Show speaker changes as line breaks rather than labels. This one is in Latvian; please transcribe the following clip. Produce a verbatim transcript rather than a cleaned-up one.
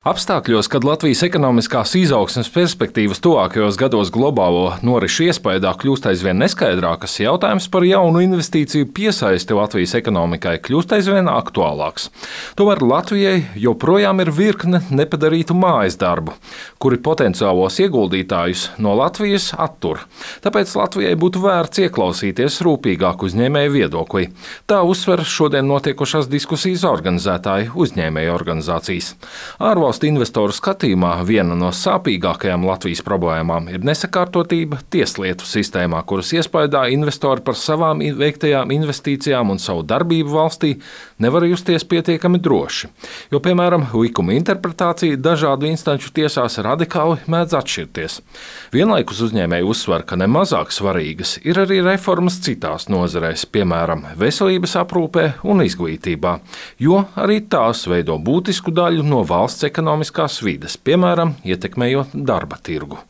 Apstākļos, kad Latvijas ekonomiskās izaugsmes perspektīvas tuvākajos gados globālo norisu iespējā kļūst aizvien neskaidrākas, jautājums par jaunu investīciju piesaisti Latvijas ekonomikai kļūst aizvien aktuālāks. Tomēr Latvijai joprojām ir virkne nepadarītu mājas darbu, kuri potenciālos ieguldītājus no Latvijas attur. Tāpēc Latvijai būtu vērts ieklausīties rūpīgāk uzņēmēju viedoklī. Tā uzsver šodien notiekošās diskusijas organizētāji uzņēmēju organizācijas. Ārvalstu investoru skatījumā viena no sāpīgākajām Latvijas problēmām ir nesakārtotība tieslietu sistēmā, kuras iespējā investori par savām veiktajām investīcijām un savu darbību valstī nevar justies pietiekami droši. Jo, piemēram, likuma interpretācija dažādu instanču tiesās radikāli mēdz atšķirties. Vienlaikus uzņēmēji uzsver, ka nemazāk svarīgas ir arī reformas citās nozarēs, piemēram, veselības aprūpē un izglītībā, jo arī tās veido būtisku daļu no valsts ekonomiskās vides, piemēram, ietekmējot darba tirgu.